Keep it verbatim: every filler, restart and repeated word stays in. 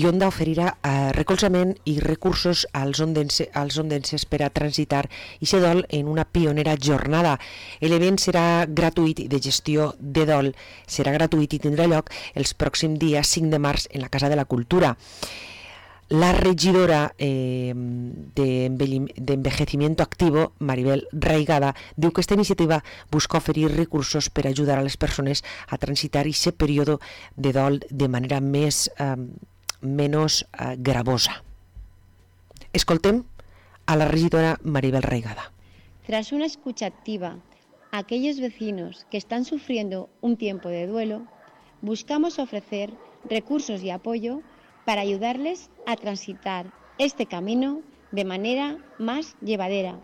i Onda oferirà eh, recolzament i recursos als, ondense, als ondenses per a transitar i ser dol en una pionera jornada. L'event serà gratuït i de gestió de dol serà gratuït i tindrà lloc els pròxims dies cinc de març en la Casa de la Cultura. La regidora eh, de Envejecimiento Activo, Maribel Raigada, diu que esta iniciativa busca oferir recursos per ajudar a les persones a transitar aquest període de dol de manera més, eh, menys eh, gravosa. Escoltem a la regidora Maribel Raigada. Tras una escucha activa a aquellos vecinos que están sufriendo un tiempo de duelo, buscamos ofrecer recursos y apoyo para ayudarles a transitar este camino de manera más llevadera.